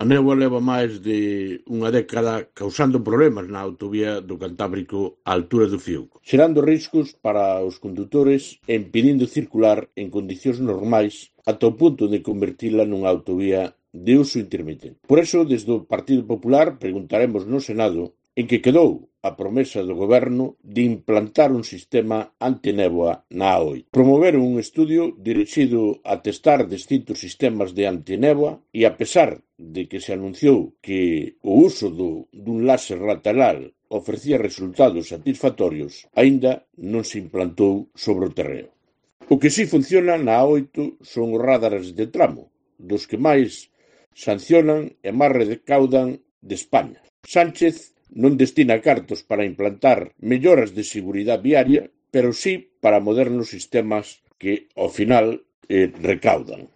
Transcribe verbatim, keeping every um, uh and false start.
A néboa leva máis de unha década causando problemas na autovía do Cantábrico á altura do Fiuco, xerando riscos para os condutores e impedindo circular en condicións normais ata o punto de convertila nunha autovía de uso intermitente. Por iso, desde o Partido Popular, preguntaremos no Senado en que quedou a promesa do Goberno de implantar un sistema antinéboa na A oito. Promoveron un estudio dirixido a testar distintos sistemas de antinéboa e, a pesar de que se anunciou que o uso do, dun láser lateral ofrecía resultados satisfactorios, aínda non se implantou sobre o terreo. O que si funciona na A oito son os radares de tramo, dos que máis sancionan e máis recaudan de España. Sánchez non destina cartos para implantar melloras de seguridade viaria, pero sí para modernos sistemas que, ao final, eh, recaudan.